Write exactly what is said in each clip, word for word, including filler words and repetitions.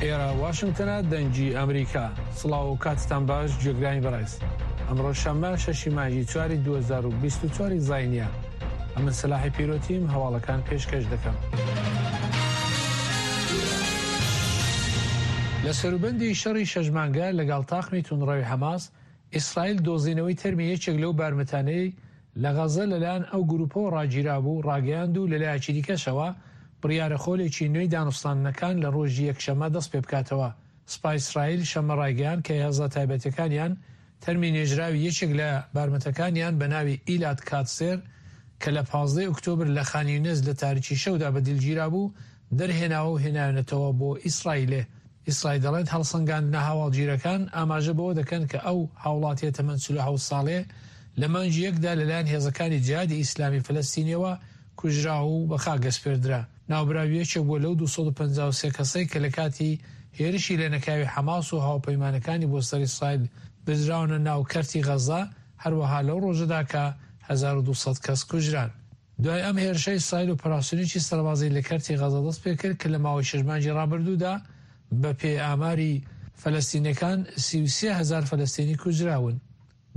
ئێرە واشنگتنە، دەنگی ئەمریکا. سڵاو و کاتتان باش گوێگرانی بەڕێز. ئەمڕۆ شەممە شەشی مانگی چواری دوو هەزار و بیست و چوار زاینیە. ئەمن سەلاحی پیرۆتیم هەواڵەکان پێشکەش دەکەم. لە سەروبەندی شەڕی شەش مانگە لەگەڵ تاقمی توندڕەوی حەماس، ئیسرائیل دۆزینەوەی تەرمی یەکێک لەو بارمتانەی لە غەزە لەلایەن ئەو گروپەوە ڕاگیرابوو ڕاگەیاند و لەلایەکی دیکەشەوە بڕیارە خۆلێکی نوێی دانوستاندنەکان لە ڕۆژی یەکشەممە دەست پێ بکاتەوە. سوپای ئیسرائیل شەممە ڕایگەیاند کە هێزە تایبەتەکانیان تەرمی نێژراوی یەکێک لە بارمتەکانیان بە ناوی ئیلاد کاتسێر کە لە پازدەی ئۆکتۆبر لە خان یونس لە تاریکی شەودا بە دیل گیرابوو دەرهێناوە و هێناوێنێتەوە بۆ ئیسرائیلێ. ئیسرائیل دەڵێت هەڵسەنگاندنە هەواڵگیرەکان ئاماژە بەوە دەکەن کە ئەو هاوڵاتیە تەمەن چل و حەوت ساڵێ لە مانگی یەکدا لەلایەن هێزەکانی جیهادی ئیسلامی فەلەستینیەوە کوژرا و بە خاک ئەسپێردرا. ناوبراو یەکێک بووە لەو دوو سەد و پەنجا و سێ کەسەی کە لە کاتی هێرشی لەنەکاوی حەماس و هاوپەیمانەکانی بۆ سەر ئیسرائیل بردراونە ناو کەرتی غەزە، هەروەها لەو ڕۆژەدا کە هەزار و دوو سەد کەس کوژران. دوای ئەم هێرشە ئیسرائیل ئۆپەراسیۆنێکی سەربازی لە کەرتی غەزە دەست پێکرد کە لە ماوەی شەش مانگی ڕابردوودا بە پێی ئاماری فەلەستینیەکان سی و سێ هەزار فەلەستینی کوژراون.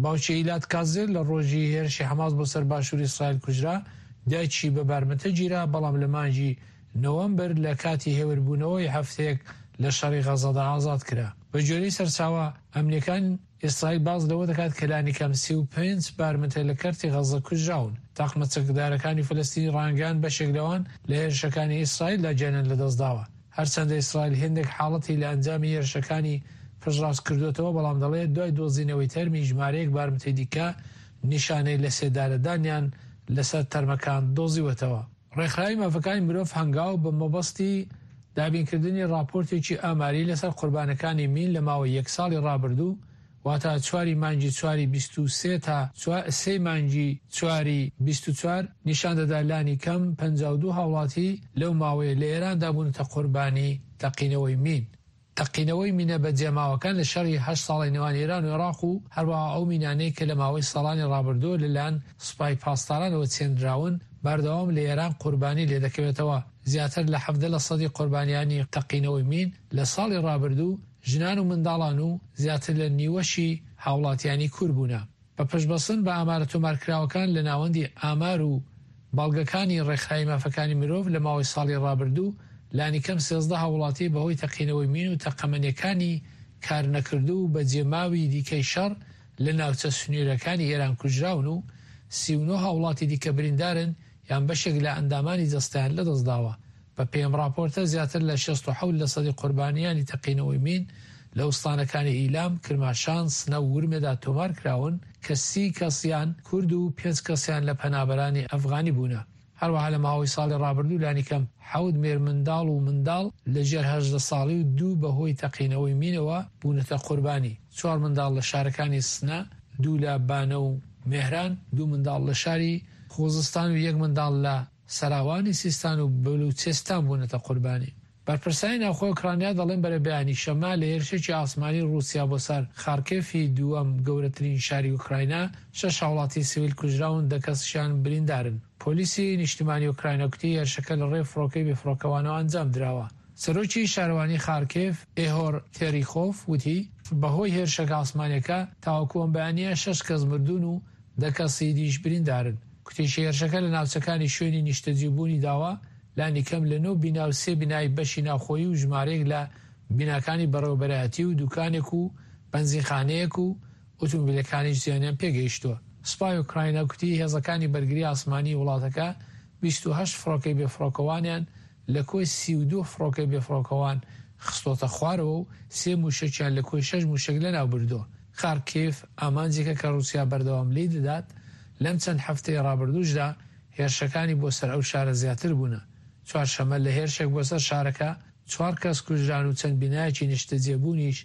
باوکی ئیلاد کازێر لە ڕۆژی هێرشی حەماس بۆ سەر باشووری ئیسرائیل کوژرا، دایکی بە بارمتە گیرا، بەڵام لە مانگی نۆوەمبەر لە کاتی هێوربوونەوەی هەفتەیەک لە شەڕی غەزەدا ئازاد کرا. بە گوێرەی سەرچاوە ئەمنیەکان ئیسرائیل باس لەوە دەکات کە لانیکەم سی و پێنج بارمتە لە کەرتی غەزە کوژراون. تاقمە چەکدارەکانی فەلەستینی ڕانگەیان بەشێک لەوان لە هێرشەکانی ئیسرائیلدا گیانیان لەدەستداوە. هەرچەندە ئیسرائیل هێندێک حاڵەتی لە ئەنجامی هێرشەکانی پشتڕاست کردوێتەوە، بەڵام دەڵێت دوای دۆزینەوەی تەرمی ژمارەیەک بارمتەی دیکە نیشانەی لە سێدارەدانیان لەسەر تەرمەکان دۆزیوەتەوە. ڕێکخراوی مافەکانی مرۆڤ هەنگاو بە مەبەستی دابینکردنی ڕاپۆرتێکی ئاماری لەسەر قوربانەکانی مین لە ماوەی یەک ساڵی ڕابردوو، واتە چواری مانگی چواری بیست و سێ تا سێ مانگی چواری بیست و چوار، نیشان دەدا لانی کەم پەنجا و دوو هاوڵاتی لەو ماوەیە لە ئێراندا بوونەتە قوربانی تەقینەوەی مین. تەقینەوەی مینە بەجێماوەکان لە شەڕی هەشت ساڵی نێوان ئێران و عێراق و هەروەها ئەو مینانەی کە لە ماوەی ساڵانی ڕابردووە لەلایەن سوپای پاسدارانەوە چێنراون بەردەوام لە ئێران قوربانی لێدەکەوێتەوە. زیاتر لە حەڤدە لە سەدی قوربانیانی تەقینەوەی مین لە ساڵی ڕابردوو ژنان و منداڵان و زیاتر لە نیوەشی هاوڵاتیانی کورد بوونە. بە پشتبەستن بە ئامارە تۆمارکراوەکان لە ناوەندی ئامار و بەڵگەکانی ڕێکخراوی مافەکانی مرۆڤ لە ماوەی ساڵی ڕابردوو لانیکەم سێزدە هاوڵاتی بەهۆی تەقینەوەی مین و تەقەمەنیەکانی کارنەکردو و بەجێماوی دیکەی شەڕ لە ناوچە سنوورەکانی ئێران کوژراون و سی و نۆ هاوڵاتی دیکە بریندارن یان بەشێک لە ئەندامانی جەستەیان لەدەستداوە. بە پێی ڕاپۆرتە زیاتر لە شەست و حەوت لە سەدی قوربانیانی تەقینەوەی مین لە ئوستانەکانی ئیلام، کرماشان، سنە و ورمێدا تۆمار کراون کە سی کەسیان کورد و پێنج کەسیان لە پەنابەرانی ئەفغانی بوونە. هەروەها لە ماوەی ساڵی ڕابردوو لانیکەم حەوت مێرمنداڵ و منداڵ لەژێر هەژدە ساڵی و دوو بەهۆی تەقینەوەی مینەوە بوونەتە قوربانی. چوار منداڵ لە شارەکانی سنە، دوو لە بانە و مێهران، دوو منداڵ لە شاری خوزستان و یەک منداڵ لە سەراوانی سیستان و بلوچستان بوونەتە قوربانی. بەرپرسانی ناوخۆی ئۆکرانیا دەڵێن بەرەبەیانی شەممە لە هێرشێکی ئاسمانی ڕووسیا بۆ سەر خارکێفی دووەم گەورەترین شاری ئۆکراینا شەش هاوڵاتی سیڤیل کوژراون، دە کەسیشیان بریندارن. پۆلیسی نیشتیمانی ئۆکراینا گوتی هێرشەکە لە ڕێی فڕۆکەی بێفڕۆکەوانەوە ئەنجام دراوە. سەرۆکی شارەوانی خارکێف ئێهۆر تێریخۆف وتی بەهۆی هێرشەکە ئاسمانیەکە تاوەکو ئەم بەیانییە شەش کەس مردوون و دە کەسی دیش بریندارن. کوتیشی هێرشەکە لە ناوچەکانی شوێنی نیشتەجێبوونی داوە لانیکەم لە نۆ بینا و سێ بینای بەشی ناوخۆیی و ژمارەیەک لە بیناکانی بەڕێوەبەرایەتی و دوکانێک و بەنزینخانەیەک و ئۆتۆمبیلەکانیش زیانیان پێگەیشتووە. سوپای ئۆکراینا کوتی هێزەکانی بەرگری ئاسمانی وڵاتەکە بیست و هەشت فڕۆکەی بێفڕۆکەوانیان لە کۆی سی و دوو فڕۆکەی بێفڕۆکەوان خستۆتە خوارەوە و سێ موشەکیان لە کۆی شەش موشەک لەناو بردووە. خارکیف ئامانجێکە کە ڕووسیا بەردەوام لێی دەدات، لەم چەند هەفتەی ڕابردووشدا هێرشەکانی بۆ سەر ئەو شارە زیاتر بوونە. چوارشەممە لە هێرشێک بۆ سەر شارەکە چوار کەس کوژران و چەند بینایەکی نیشتەجێبوونیش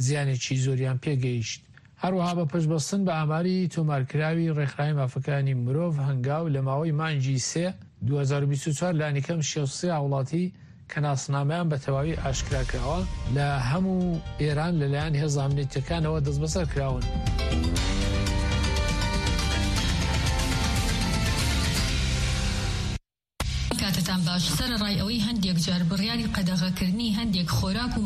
زیانێکی زۆریان پێگەیشت. هەروەها بە پشتبەستن بە ئاماری تۆمارکراوی ڕێکخراوی مافەکانی مرۆڤ هەنگاو لە ماوەی مانگی سێ دوو هەزار و بیست و چوار لانیکەم شەست و سێ هاوڵاتی کە ناسنامەیان بە تەواوی ئاشکرا کراوە لە هەموو ئێران لەلایەن هێزە ئەمنیەتیەکانەوە دەستبەسەر کراون. کاتتان باش. سەرەڕای ئەوەی هەندێک جار بڕیاری قەدەغەکردنی هەندێک خۆراک و